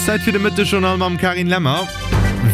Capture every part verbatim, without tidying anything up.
Zäit fir de Mëttesjournal mam Carine Lemmer.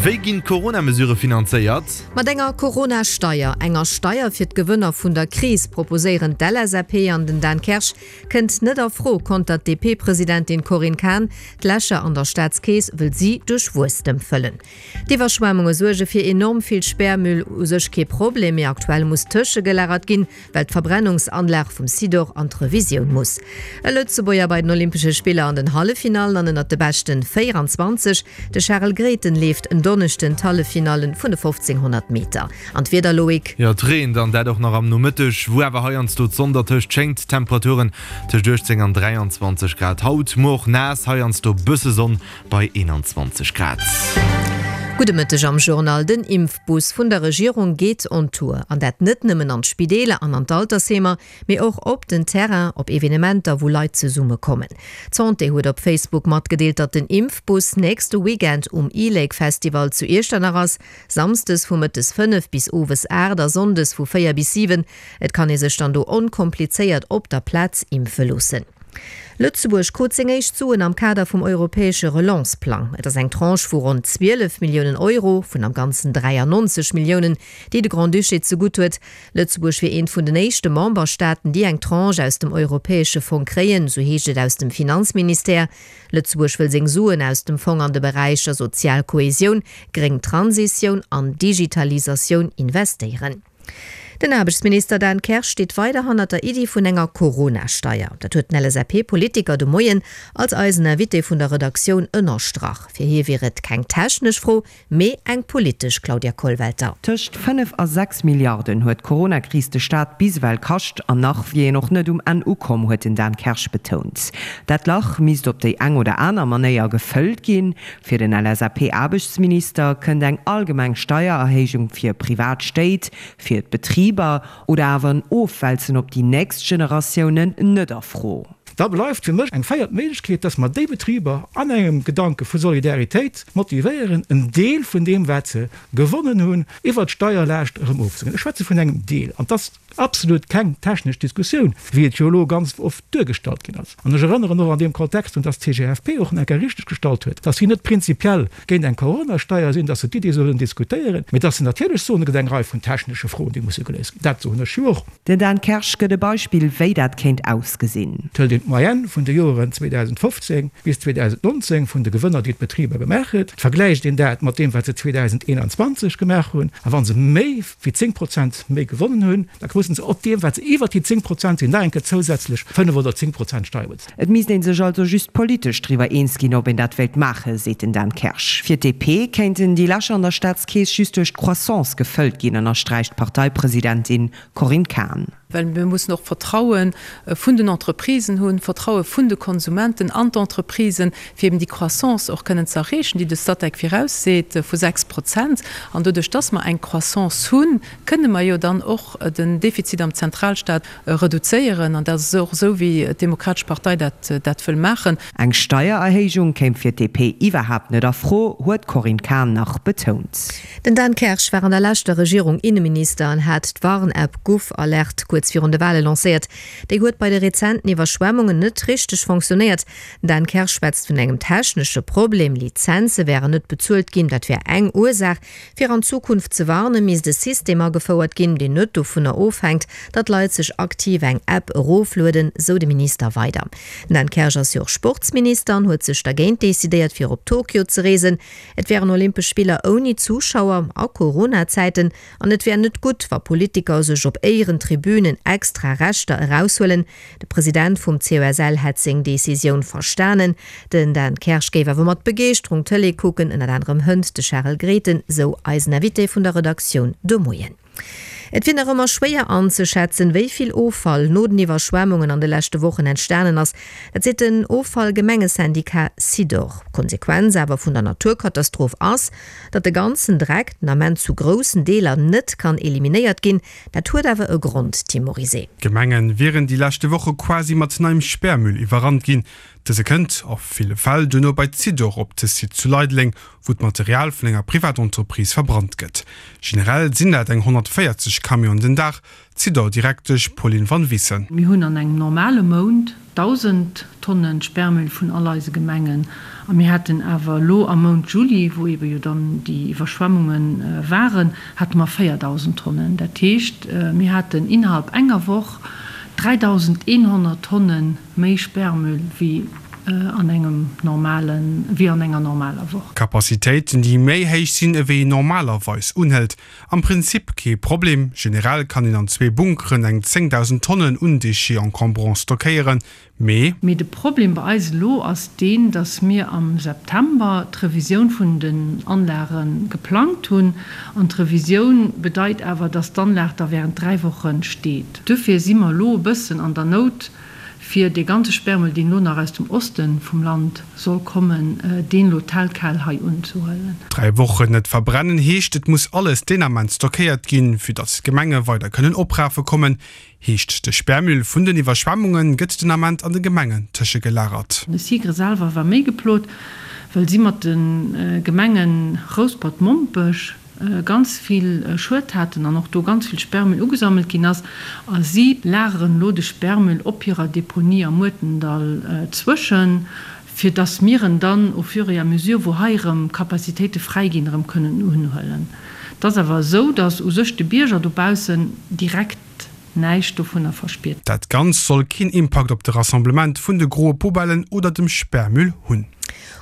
Wéi ginn d'Corona-Mesurë finanzéiert? Mat enger Corona-Steier, enger Steier fir d'Gewënner vun der Kris, proposéieren d'LSAP an den Dan Kersch, kënnt net a Fro, kontert d'DP-Presidentin Corinne Cahen. D'Lächer an der Staatskeess wëll si duerch Wuesstem fëllen. D'Iwwerschwemmunge suerge fir enorm vill Sperrmüll, u sech kee Problem, mee aktuell muss tëschegelagert ginn, well d'Verbrennungsanlag vum Sidor an d'Revisioun muss. E Lëtzebuerger bei den Olympesche Spiller an den Halleffinallen an ënnert de beschten véieranzwanzeg, De Charel Grethen leeft en Donneschden d'Halleffinallen vun de fofzénghonnert Meter. An d'Wieder, Loïc? Jo, et reent an dat och nach am Nomëtteg, wou awer heiansdo d'Sonn dertëscht schéngt. Temperaturen tëscht uechtzéng an dräianzwanzeg Grad haut, muer och naass, heiansdo bësse Sonn bei eenanzwanzeg Grad. Gudde Mëtteg am Journal. Den Impfbus vun der Regierung geet on Tour. An dat net nëmmen an d'Spideeler an an d'Altersheemer, mee och op den Terrain, op Evenementer, wou Leit zesumme kommen. D'Santé huet op Facebook matgedeelt, datt den Impfbus nächste Weekend um e-Lake Festival zu Iechternach ass, Samsdes vu mëttes fënnef bis owes aacht a sonndes vu véier bis siwen. Et kann ee sech dann do onkomplizéiert op der Plaz impfe loossen. Lëtzebuerg krut seng éischt Suen am Kader vum europäesche Relance-Plang. Et ass eng Tranche vu ronn zwielef Milliounen Euro, vun am Ganzen dräiannonzeg Milliounen, déi de Grand-Duché zegutt huet. Lëtzebuerg wier eent vun den éischte Memberstaaten, déi eng Tranche aus dem europäesche Fong kréien, sou heescht et aus dem Finanzministère. Lëtzebuerg wëll seng Suen aus dem Fong an de Beräicher sozial Kohesioun, gréng Transitioun an Digitalisatioun investéieren. Den Aarbechtsminister Dan Kersch steet weider hannert der Iddi vun enger Corona-Steier. Dat huet den L S A P-Politiker de Moien als eisen Invité vun der Redaktioun ënnerstrach. Fir hie wier et keng technesch Fro, mee eng politesch, Claudia Kollwelter. Tëscht fënnef a sechs Milliarden huet d'Coronakris de Staat bis ewell kascht an nach wier een och net um Enn ukomm, huet den Dan Kersch betount. Dat Lach misst op déi eng oder aner Manéier gefëllt ginn. Fir den L S A P-Aarbechtsminister kënnt eng allgemeng Steiererhéijung fir privat Stéit, fir d'Betriber oder awer en Ofwälzen op déi nächst Generatiounen net a Fro. Da bleift fir mech eng véiert Méiglechkeet, dass mer déi Betriber an engem Gedanke vu Solidaritéit motivéieren, en Deel vun deem, wat se gewonnen hunn, iwwert d'Steierlaascht erëm ofzeginn. Ech schwätze vun engem Deel. An et ass absolut keng technesch Diskussioun, wéi et jo elo ganz oft duergestallt ginn ass. An ech erënneren och an deem Kontext drun, dass d'C G F P och nach eng Kéier richteggestallt huet, dass si net prinzipiell géint eng Coronasteier sinn, dass se d'Iddi sollen diskutéieren, mee dass se natierlech soen, et gëtt eng Rei vun technesche Froen, déi musse geléist ginn. Dat soen ech jo och. Den Dan Kersch gëtt e Beispill, wéi dat kéint ausgesinn. Et hëlt een d'Moyenne vun de Joren zweedausendfofzéng bis zweedausendnonzéng vun de Gewënner, déi d'Betriber gemaach huet, vergläicht een dat mat deem, wat se zweedausendeenanzwanzeg gemaach hunn, a wa se méi wéi zéng Prozent méi gewonnen hunn, da mussen se op deem, wat se iwwert déi zéng Prozent sinn, nach eng Kéier zousätzlech fënnef oder zéng Prozent Steier bezuelen. Et misst ee sech also just politesch driwwer eens ginn, ob een dat wéilt maachen, seet den Dan Kersch. Fir d'D P kéinten déi Lächer an der Staatskeess just duerch d'Croissance gefëllt ginn, ënnersträicht d'Parteipresidentin Corinne Cahen. Well mir mussen och Vertraue vun den Entreprisen hunn, Vertraue vun de Konsumenten an d'Entreprisen, fir eben déi Croissance och kënnen ze erreechen, déi de Statec virausseet vu sechs Prozent. An doduerch, dass mer eng Croissance hunn, kënne mer jo dann och den Defizit am Zentralstaat reduzéieren. An dat ass och esou, wéi d'Demokratesch Partei dat dat wëll maachen. Eng Steiererhéijung kéim fir d'D P iwwerhaapt net a Fro, huet d'Corinne Cahen nach betount. Den Dan Kersch war an der leschter Regierung Inneminister an hat d'Warn-App GouvAlert kuerz virun de Wale lancéiert. Déi huet bei de rezenten Iwwerschwemmungen net richteg fonctionnéiert. Den Dan Kersch schwätzt vun engem technesche Problem, Lizenze wären net bezuelt ginn, dat wär eng Ursaach. Fir an Zukunft ze warnen, misst e System agefouert ginn, deen net dovunner ofhänkt, datt Leit sech aktiv eng App eroflueden, sou de Minister weider. Den Dan Kersch ass jo och Sportsminister an huet sech dergéint decidéiert, fir op Tokio ze reesen. Et wären Olympesch Spiller ouni Zuschauer a Corona-Zäiten an et wär net gutt, wa Politiker sech op Éierentribünen extra Rechter eraushuelen. De President vum C O S L hätt seng Decisioun verstanen. Den Dan Kersch géif awer mat Begeeschterung Tëlee kucken, ënnert anerem hënt de Charel Grethen, sou eisen Invité vun der Redaktioun de Moien. Et wier nach ëmmer schwéier anzeschätzen, wéi vill Offall no den Iwwerschwemmungen an de leschte Wochen entstanen ass. Dat seet den Offallgemengesyndikat Sidor. D'Konsequenz awer vun der Naturkatastroph ass, datt de ganzen Dreck den Ament zu groussen Deeler net kann eliminéiert ginn. Dat huet awer e Grond, Tim Morizet. D'Gemenge wieren déi leschte Woche quasi mat neiem Sperrmüll iwwerrannt ginn. Dëse kënnt a ville Fäll duerno bei Zidor op de Site zu Leideleng, wou d'Material vun enger Privatentreprise verbrannt gëtt. Generell sinn dat eng honnertvéierzeg Camionen den Dag, Zidor-Direktesch Pauline Van Wissen. Mir hunn an engem normale Mount dausend Tonne Sperrmüll vun all eise Gemengen. A mir haten awer elo am Mount Juli, wou eebe jo dann déi Iwwerschwemmunge waren, hate mer véierdausend Tonnen. Dat heescht, mir haten innerhalb enger Woch dräidausendeenhonnert Tonne méi Sperrmüll wéi an engem normalen, wéi an enger normaler Woch. Capacitéiten, déi méi héich sinn ewéi een normalerweis unhëlt. Am Prinzip kee Problem, generell kann een an zwee Bunkeren eng zéngdausend Tonnen un Déchets encombrants stockéieren, mee. Mee de Problem bei eis elo ass deen, dass mir am September d'Revisioun vun den Anlage geplangt hunn. An d'Revisioun bedeit awer, dass d'Anlag da während dräi Woche steet. Duerfir si mer elo e bëssen an der Nout, fir dee ganze Sperrmüll, deen elo nach aus dem Oste vum Land soll kommen, deen elo tel quel hei unzehuelen. Dräi Wochen net verbrennen heescht, et muss alles deen Ament stockéiert ginn, fir datt d'Gemenge weider kënnen oprafe kommen. Heescht, de Sperrmüll vun den Iwwerschwemmunge gëtt den Ament an de Gemengen tëschegelagert. De SIGRE selwer war méi geplot, well si mat de Gemenge Rouspert-Mompech ganz vill Schued haten an och do ganz vill Sperrmüll ugesammelt ginn ass. A si lageren elo de Sperrmüll op hirer Deponie am Muertendall zwëschen, fir dass mir en dann au fur et à mesure, wou hei erëm Capacitéite fräi ginn, erëm kënnen unhuelen. Et ass awer esou, dass u sech de Bierger dobaussen direkt näischt dovunner verspiert. Dat Ganzt soll keen Impakt op de Rassemblement vun de groe Poubellen oder dem Sperrmüll hunn.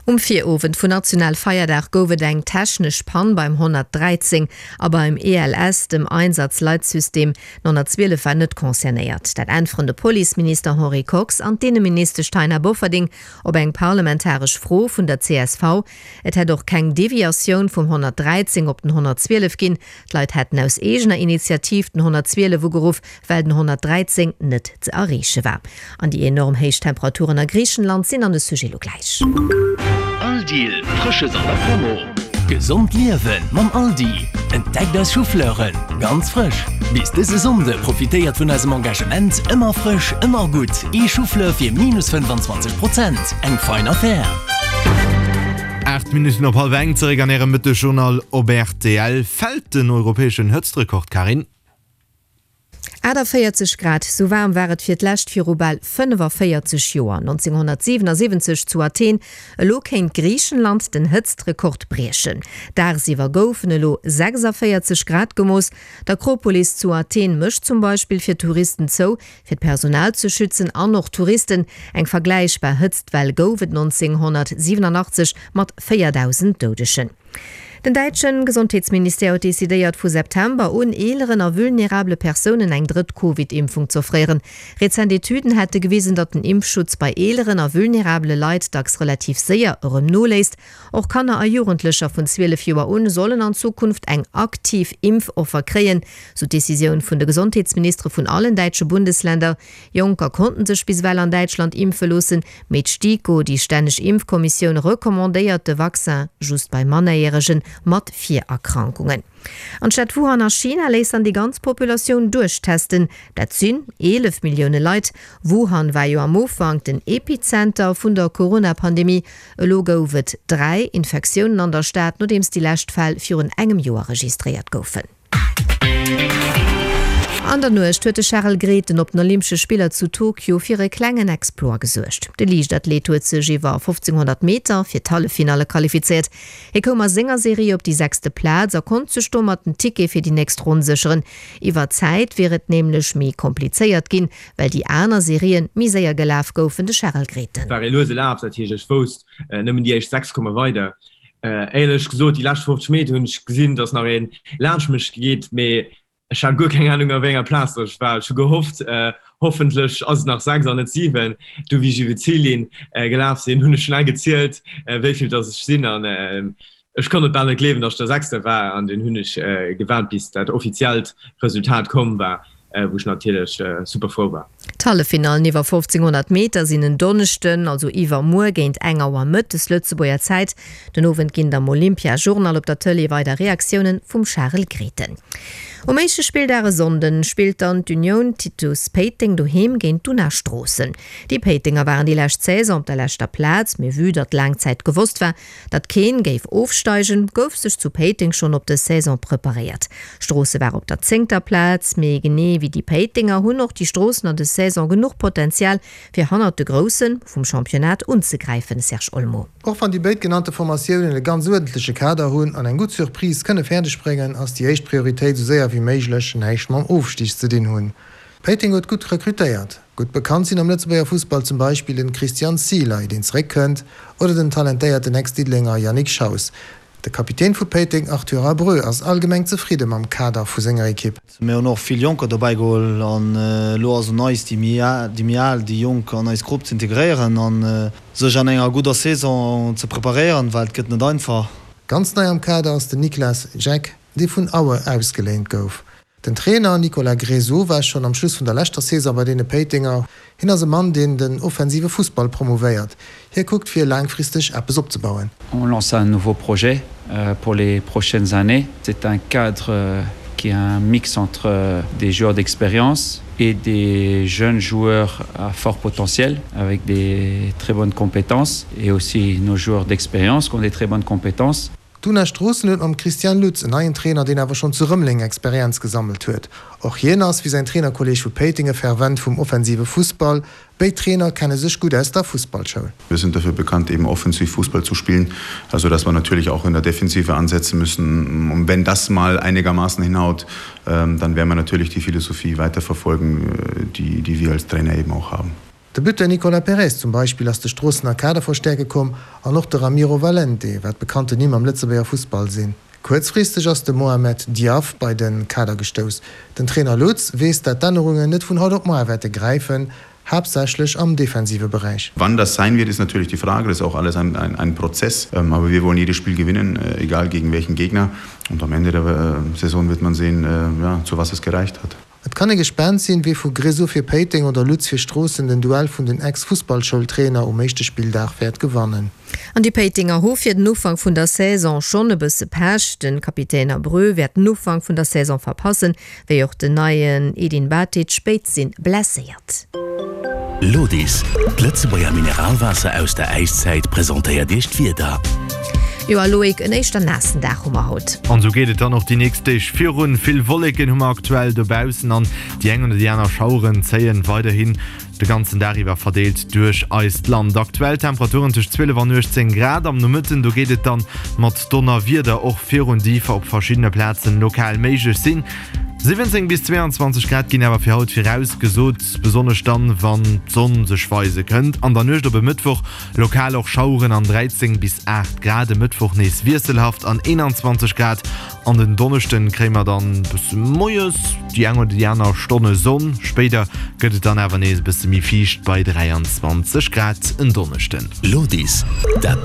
Um Virowend vun Nationalfeierdag gouf et eng technesch Pann beim honnertdräizéng a beim E L S, dem Einsatzleitsystem. Den honnertzwielef war net concernéiert. Dat äntweren de Policeminister Henri Kox an d'Inneministesch Taina Bofferding op eng parlamentaresch Fro vun der C S V. Et hätt och keng Deviatioun vum honnertdräizéng op den honnertzwielef ginn. D'Leit hätten aus eegener Initiativ den honnertzwielef ugeruff, well den honnertdräizéng net ze erreeche war. An déi enorm héich Temperaturen a Griichenland sinn an de Sujet lo gläich. Aldi, Frësches an der Promo! Gesond liewen mam Aldi! Entdeckt eis Choufleuren, ganz frësch! Bis dëse Sonnde profitéiert vun eisem Engagement Ëmmer frësch, ëmmer gutt! Ee Choufleur fir minus fënnefanzwanzeg Prozent, eng fein Affär! Aacht Minutten op hallwer eng, zeréck an Ärem Mëttesjournal op R T L. Fält den europäeschen Hëtztrekord, Carine? achtundvéierzeg Grad, sou waarm war et fir d'lescht viru bal fënnefavéierzeg Joer, nonzénghonnertsiwenasiwwenzeg zu Athen. Elo kéint Griichenland den Hëtztrekord briechen. Dagsiwwer goufen elo sechsavéierzeg Grad gemooss. D'Akropolis zu Athen mécht zum Beispill fir Touristen zou, fir d'Personal ze schützen an och d'Touristen. Eng vergläichbar Hëtztwell gouf et nonzénghonnertsiwenunachtzeg mat véierdausend Doudegen. Den däitsche Gesondheetsministère huet decidéiert, vu September un eeleren a vulnerabele Persounen eng drëtt Covid-Impfung z'offréieren. Rezent Etüden hätte gewisen, datt den Impfschutz bei eeleren a vulnerabele Leit dacks relativ séier erëm noléisst. Och Kanner a Jugendlecher vun zwielef Joer un sollen an Zukunft eng aktiv Impfoffer kréien, sou d'Decisioun vun de Gesondheetsministere vun allen däitsche Bundesländer. Jonker konnten sech bis ewell an Däitschland impfe loossen, mee d'STIKO, déi stänneg Impfkommissioun, recommandéiert de Vaccin just bei Mannerjäregen mat Virerkrankungen. An d'Stad Wuhan a China léisst dann déi ganz Populatioun duerchtesten. Dat sinn eelef Millioune Leit. Wuhan war jo am Ufank den Epizenter vun der Corona-Pandemie. Elo gouf et dräi Infektiounen an der Stad, nodeems déi lescht Fäll virun engem Joer registréiert goufen. An der Nuecht huet de Charel Grethen op den Olympesche Spiller zu Tokio fir e klengen Exploit gesuergt. De Liichtathlet huet sech iwwer fofzénghonnert Meter fir d'Halleffinalle qualifizéiert. Hie koum a senger Serie op déi sechste Plaz a konnt sech domat den Ticket fir déi nächst Ronn sécheren. Iwwer d'Zäit wier et nämlech méi komplizéiert ginn, well déi aner Serien méi séier gelaf goufen. De Charel Grethen. War ee luese Laf, dat heescht ech wousst, nëmmen déi éischt sechs komme weider. Éierlech gesot, déi lescht fofzeg Meter hunn ech gesinn, datt nach een laanscht mech geet, mee ech hat guer keng Anung a wéi enger Plaz datt ech war. Ech hu gehofft, hoffentlech ass et nach sechs an net siwen. Du wéi ech iwwer d'Zillinn gelaf sinn, hunn ech schnell gezielt, wéi vill datt ech sinn an ech konnt et bal net gleewen, datt ech der Sechste war an dunn hunn ech gewaart, bis dat offiziellt Resultat komm war, wou ech natierlech super frou war. D'Halleffinallen iwwer fofzénghonnert Meter sinn en Donneschden, also iwwermuer géint eng Auer mëttes Lëtzebuerger Zäit. Den Owend ginn et am Olympia-Journal op der Tëlee weider Reaktiounen vum Charel Grethen. Um éischte Spilldag e Sonnden spillt dann d'Union Titus Péiteng doheem géint d'Una Stroossen. Déi Péitenger waren déi lescht Saison op der leschter Plaz, mee vue datt laang Zäit gewosst war, datt keen géif ofsteigen, gouf sech zu Péiteng schonn op dës Saison preparéiert. Stroosse war op der zéngter Plaz, mee genee wéi wéi déi Péitenger hunn och déi Stroossener des Saison genuch Potenzial, fir hannert de Grousse vum Championnat unzegräifen, Serge Olmo. Och wann déi béid genannte Formatiounen e ganz uerdentleche Kader hunn an eng gutt Surprise kënne fäerdeg bréngen, ass déi éischt Prioritéit esou séier wéi méiglech näischt mam Ofstig ze dinn hunn. Péiteng huet gutt rekrutéiert. Gutt bekannt sinn am Lëtzebuerger Fussball zum Beispill den Christian Szilai, deen zeréckkënnt, oder den talentéierten Ex-Diddelenger Yannick Schaus. De Kapitän vu Péiteng Arthur Abreu ass allgemeng zefridde mam Kader vu senger Ekipp. Mir hunn och vill Jonker dobäi geholl an elo ass un eis, déi méi al, déi Jonk an eis Grupp ze integréieren a sech an enger gudder Saison ze preparéieren, well et gëtt net einfach. Ganz nei am Kader ass den Niklas Jack, dee vun Auer ausgeléint gouf. Den Trainer Nicolas Grésoux war schonn am Schluss vun der leschter Saison bei deene Péitenger. Hien ass e Mann, deen den offensive Fussball promouvéiert. Hie kuckt fir laangfristeg eppes opzebauen. On lance un nouveau projet pour les prochaines années. C'est un cadre qui est un mix entre des joueurs d'expérience et des jeunes joueurs à fort potentiel avec des très bonnes compétences et aussi nos joueurs d'expérience qui ont des très bonnes compétences. D'Una Stroossen huet mam Christian Lutz en neien Trainer, deen awer schonn zu Rëmeleng Experienz gesammelt huet. Och hien ass, wéi säin Trainerkolleeg vu Péiteng, e Fervent vum offensive Fussball. Béid Trainer kenne sech gutt aus der Fussballschoul. Wir sind dafür bekannt, eben offensiv Fußball zu spielen, also dass wir natürlich auch in der Defensive ansetzen müssen. Und wenn das mal einigermaßen hinhaut, dann werden wir natürlich die Philosophie weiterverfolgen, die, die wir als Trainer eben auch haben. De Buteur Nicolas Perez zum Beispill ass de Stroossener Kader verstäerke komm an och de Ramiro Valente, wat bekannten Nimm am Lëtzebuerger Fussball sinn. Kuerzfristeg ass de Mohamed Diaf bei de Kader gestouss. Den Trainer Lutz weess, dat d'Ännerungen net vun haut op muer wäerte gräifen, haaptsächlech am defensive Beräich. Wann das sein wird, ist natürlich die Frage, das ist auch alles ein, ein, ein Prozess, aber wir wollen jedes Spiel gewinnen, egal gegen welchen Gegner und am Ende der Saison wird man sehen, ja, zu was es gereicht hat. Et kann ee gespaant sinn, wie vu Grésoux fir Péiteng oder Lutz fir Stroossen den Duell vun den Ex-Fussballschoultrainer um éischte Spilldag wäert gewannen. An déi Péitenger hu fir den Ufank vun der Saison schonn e bësse Pech. De Kapitän Abreu wäert den Ufank vun der Saison verpassen, wéi och den neien Edin Batic. Béid si blesséiert. Lodis, d'Lëtzebuerger Mineralwaasser aus der Äiszäit presentéiert Iech d'Wieder. Jo a Loïc, en éischter naassen Dag hu mer haut. An esou geet et dann och déi nächst Deeg virun. Vill Wolleken hu mer aktuell dobaussen an déi eng oder déi aner Schaueren zéien weiderhin de ganzen Dag iwwer verdeelt duerch eist Land. Aktuell Temperaturen tëscht zwielef an uechtzéng Grad. Am Nomëtten do geet et dann mat Donnerwieder och virun, déi op verschiddene Plazen lokal méiglech sinn. siwwenzéng bis zweeanzwanzeg Grad ginn awer fir haut virausgesot, besonnesch dann, wann d'Sonn sech weise kënnt. An der Nuecht op e Mëttwoch lokal och Schaueren an dräizéng bis aacht Grad, e Mëttwoch nees wiesselhaft an eenanzwanzeg Grad. An den Donneschden kréie mer dann bësse moies déi eng oder déi aner Stonne Sonn, spéider gëtt et dann awer nees e bësse méi fiicht bei dräianzwanzeg Grad en Donneschden. Lodis, dat